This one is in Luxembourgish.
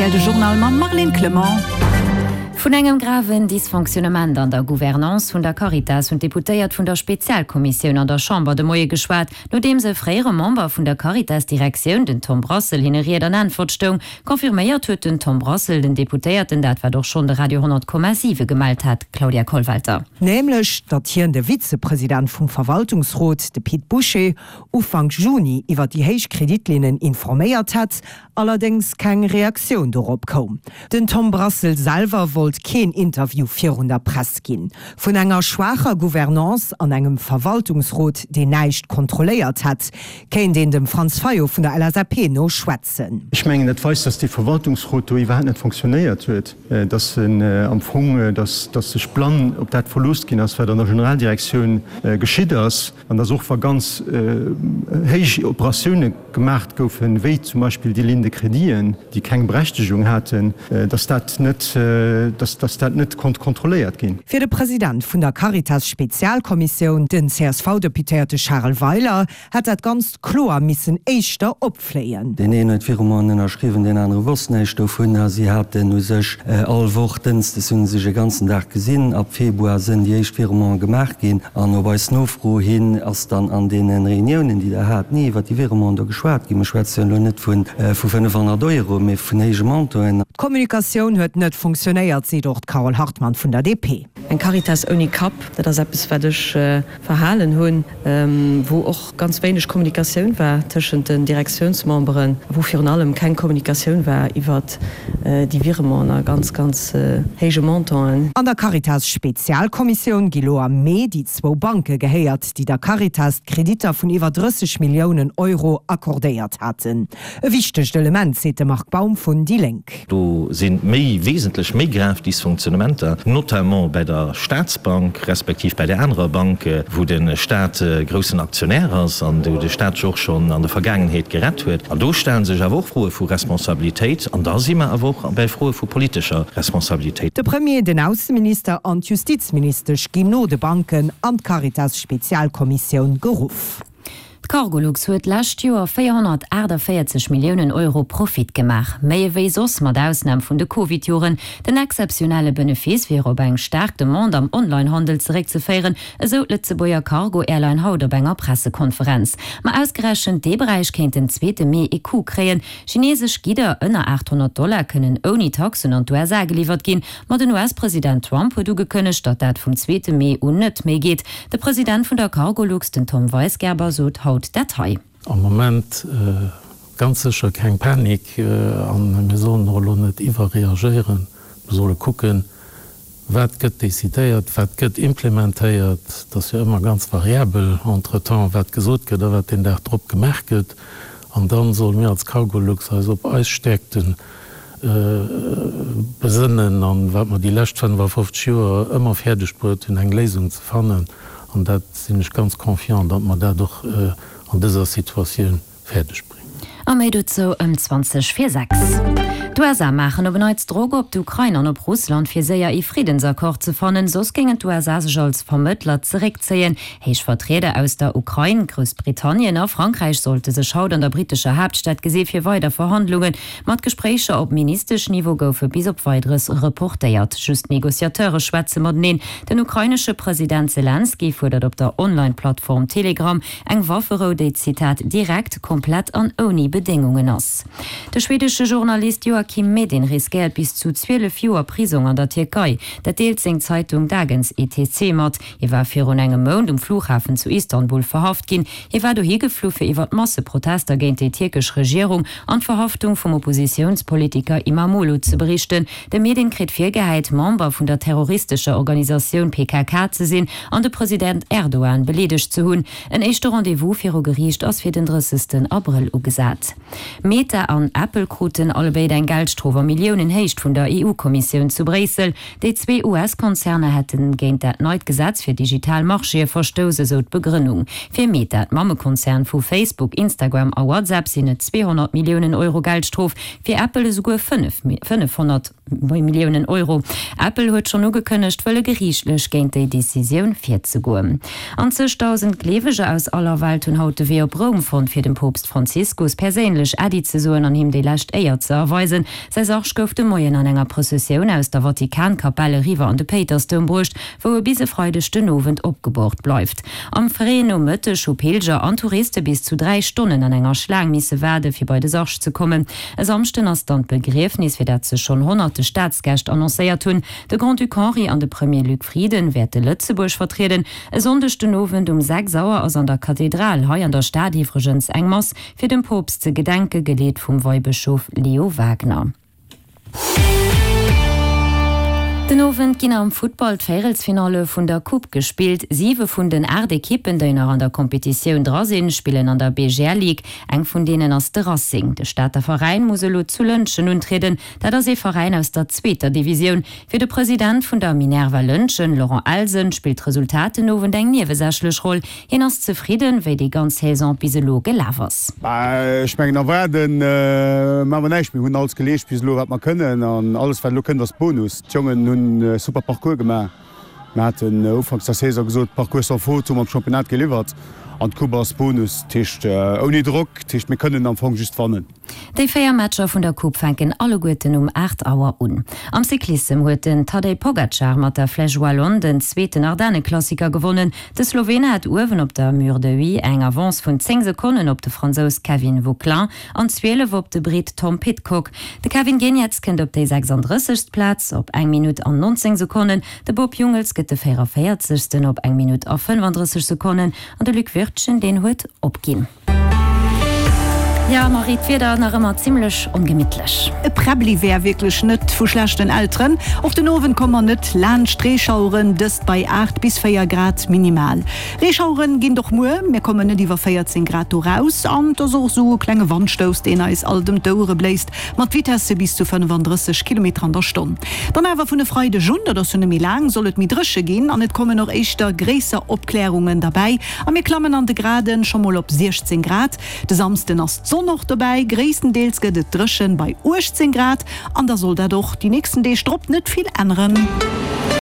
Rtl de Journal mam Marlène Clement. Vun engem graven Dysfonctionnement an der Gouvernance vun der Caritas hunn d'Deputéiert vun der Spezialkommissioun an der Chamber de Moie geschwat, nodeems e fréiere Member vun der Caritas-Direktioun, den Tom Brassel, hinne Ried an Äntwert stoung. Confirméiert huet den Tom Brassel den Deputéierten dat, wat och schonn de Radio 100,7 gemellt hat. Claudia Kollwelter. Nämlech, datt hien de Vizepresident vum Verwaltungsrot, de Pit Bouché, Ufank Juni iwwer déi héich Kreditlinnen informéiert hätt, allerdéngs keng Reaktioun dorop koum. Den Tom Brassel selwer wollt keen Interview virun der Press ginn. Vun enger schwaacher Gouvernance an engem Verwaltungsrot, deen näischt kontrolléiert hätt, kéint een dem Franz Fayot vun der LSAP no schwätzen. Ech mengen, dat weist, datt dee Verwaltungsrot do iwwerhaapt net fonctionnéiert huet, datt en am Fong, datt sech blann op dat verlooss ginn ass, wat an der Generaldirektioun geschitt ass. An dass och wa ganz héich Operatioune gemaacht goufen, wéi zum Beispill déi Ligne de créditen, déi keng Berechtegung haten, dass dat net, dass dass dat net konnt kontrolléiert ginn. Fir de President vun der Caritas-Spezialkommissioun, den CSV-Deputéierte Charel Weiler, hätt dat Ganzt kloer missen éischter opfléien. Deen een huet Virementen ënnerschriwwen, deen anere wosst näischt dovun. A si haten u sech all Woch, dënschdes hu se sech e ganzen Dag gesinn. Ab Februar sënn déi éischt Virementen gemaach ginn. An op eis Nofro hin ass dann an deene Reuniounen, déi Der hat, ni iwwer déi Virementen do geschwat ginn. Mir schwätze jo elo net vu 500 Euro, mee vun héije Montanten. D'Kommunikatioun huet net funktionéiert, seet och d'Carole Hartmann vun der DP. Eng Caritas ouni Kapp, dat ass eppes, wat ech verhalen hunn, wou och ganz wéineg Kommunikatioun war tëschent den Direktiounsmemberen, wou virun allem keng Kommunikatioun war iwwert déi Virementen a ganz, ganz héije Montanten. An der Caritas-Spezialkommissioun gi lo am Mee déi zwou Banke gehéiert, déi der Caritas d'Kreditter vun iwwer 30 Milliounen Euro accordéiert haten. E wichtegt Element, seet de Marc Baum vun déi Lénk. Do si méi, wesentlech méi grav Dysfonctionnementer, notamment bäi der Statsbank, respektiv bäi där anerer Bank, wou de Stat groussen Aktionär ass an wou de Stat sech och schonn an der Vergaangenheet gerett huet. An do stelle sech awer och Froe vu Responsabilitéit an da si mer awer och bäi Froe vu politescher Responsabilitéit. De Premier, den Ausseminister an d'Justizministesch ginn no de Banken an d'Caritas-Spezialkommissioun geruff. D'Cargolux huet d'lescht Joer 448 Milliounen Euro Profit gemaach, méi ewéi soss, mat Ausnam vun de Covid-Joren. Den exzeptionelle Benefice wier op eng staark Demande am Online-Handel zeréckzeféieren, esou d'Lëtzebuerger Cargo-Airline haut op enger Pressekonferenz. Ma ausgerechent dee Beräich kéint den zweete Mee ee Coup kréien. Chineesesch Gidder ënner 800 Dollar kënnen ouni Taxen an d'USA geliwwert ginn. Ma den US-President Trump huet ugekënnegt, datt dat vum zweete Mee un net méi geet. De President vun der Cargolux, den Tom Weisgerber, sot haut dat hei. Am Moment ganz sécher keng Panik a mir sollen och elo net iwwerreagéieren. Mir solle kucken, wat gëtt decidéiert, wat gëtt implementéiert. Et ass jo ëmmer ganz variabel entretemps, wat gesot gëtt a wat deen Dag drop gemaach gëtt. An da solle mir als Cargolux eis op eis Stäerkten besënnen an wat mer déi lescht 55 Joer ëmmer fäerdeg bruet hunn, eng Léisung ze fannen. An dat sinn ech ganz confiant, datt mer dat och an dëser Situatioun fäerdeg bréngen. A méi dozou ëm 20 vir 6. D'USA maachen op en Neits Drock op d'Ukrain an op Russland, fir séier ee Friddensaccord ze fannen, soss géingen d'USA sech als Vermëttler zeréckzéien. Héich Vertrieder aus der Ukrain, Groussbritannien a Frankräich sollte sech haut an der brittescher Haaptstad gesi fir weider Verhandlungen. Ma d'Gespréicher op Ministeschniveau goufe bis op Weideres reportéiert. Just d'Negociateure schwätze mateneen. Den ukrainesche President Selenskyj fuerdert op der Online-Plattform Telegram eng Wafferou, déi, Zitat, direkt, komplett an ouni Bedéngungen ass. De schwedesche Journalist Joakim Medin riskéiert bis zu 12 Joer Prisong an der Tierkei. Dat deelt seng Zeitung Dagens ETC mat. Hie war virun engem Mount um Flughafen zu Istanbul verhaft ginn. Hie war dohi geflu fir iwwer d'Masseprotester géint déi tierkesch Regierung an d'Verhaftung vum Oppositiounspolitiker Imamoglu ze berichten. De Medin kritt virgehäit, Member vun der terroristescher Organisatioun PKK ze sinn an de President Erdogan beleedegt ze hunn. En éischte Rendez-vous viru Geriicht ass fir den 30. Abrëll ugesat. Meta an Apple kruten allebéid eng Geldstrof a Milliounenhéicht vun der EU-Kommissioun zu Bréissel. Déi zwee US-Konzerner hätte géint dat neit Gesetz fir digital Marchéë verstouss, esou d'Begrënnung. Fir Meta, d'Mammekonzern vu Facebook, Instagram a WhatsApp, sinn et 200 Milliounen Euro Geldstrof, fir Apple esouguer 500. Milliounen Euro. Apple huet schonn ugekënnegt, wëlle geriichtlech géint déi Decisioun virzegoen. An zegdausend Gleeweger aus aller Welt hunn haut de Wee op Roum fonnt, fir dem Poopst Franziskus perséinlech Äddi ze soen an him déi lescht Éier ze erweisen. Säi Sarg gouf de Moien an enger Prëssessioun aus der Vatikankapell eriwwer an de Péitersdoum bruecht, wou e bis e Freideg den Owend opgeboort bleift. Am fréien Nomëtteg hu Pilger an Touriste bis zu 3 Stonnen an enger Schlaang misse waarde fir bei de Sarg ze kommen. E Samschden ass dann d'Begriefnis, fir dat sech schonn honnerte Staatsgäscht annoncéiert hunn. De Grand-Duc Henri an de Premier Luc Frieden wäerte Lëtzebuerg vertrieden. E Sonndeg den Owend um 6 Auer ass an der Kathedral hei an der Stad iwwregens eng Mass fir dem Poopst ze gedenken, geleet vum Weibëschof Leo Wagner. Den Owend ginn am Futtball d'Véierelsfinalle vun der Coupe gespillt. Siwe vun den 8 Ekippen, déi nach an der Kompetitioun dra sinn, spillen an der BGL Ligue. Eng vun deenen ass de Racing. De Stater Veräin muss elo zu Lëntgen untrieden. Dat ass ee Veräin aus der zweeter Divisioun. Fir de President vun der Minerva Lëntgen, Laurent Elsen, spillt d'Resultat den Owend eng niewesächlech Roll. Hien ass zefridden, wéi déi ganz Saison bis elo gelaf ass. Ech mengen erwaarden maache mer näischt. Mir hunn alles geleescht bis elo wat mer kënnen an alles wat elo kënnt ass Bonus. D'Jongen hunn e super Parcours gemaach. Mir haten ufanks der Saison gesot, Parcours sans faute hu mer am Championnat geliwwert an d'Coupe ass Bonus. Dat heescht ouni Drock, dat heescht mir kënnen am Fong just wannen. Déi 4 Matcher vun der Coupe fänken alleguerten um 8 Auer un. Am Cyclissem huet den Tadej Pogacar mat der Flèche Wallonne den zweeten Ardenneklassiker gewonnen. De Slowene hat uewen op der Mur de Huy eng Avance vun 10 Sekonnen op de Fransous Kevin Vauquelin an 12 op de Brit Tom Pidcock. De Kevin Geniets kënnt op déi 36. Plaz op eng Minutt an 19 Sekonnen, de Bob Jungels gëtt de 44. op eng Minutt a 35 Sekonnen an de Luc Wirtgen, deen huet opginn. Jo Marie, d'Wieder nach ëmmer zimlech ongemittlech. E Präbbli wär wierklech net vu schlechten Elteren. Och den Owend komme mer net laanscht Reeschaueren, dëst bei 8 bis 4 Grad minimal. Reeschaueren ginn et och muer, mir kommen net iwwer 14 Grad do raus an et ass och esou e klenge Wandstouss, deen eis alt ëm d'Ouere bléist, mat Vitesse bis zu 35 Kilometer an der Stonn. Dann awer vun e Freideg un, dat ass jo net méi laang, soll et méi dréche ginn an et kommen och éischter gréisser Opklärungen derbäi. A mir klammen an de Graden scho mol op 16 Grad. De Samsden ass d'Sonn och dobäi, gréisstendeels gëtt et dréchen bei 18 Grad an da soll dat och déi nächsten Deeg drop net vill änneren.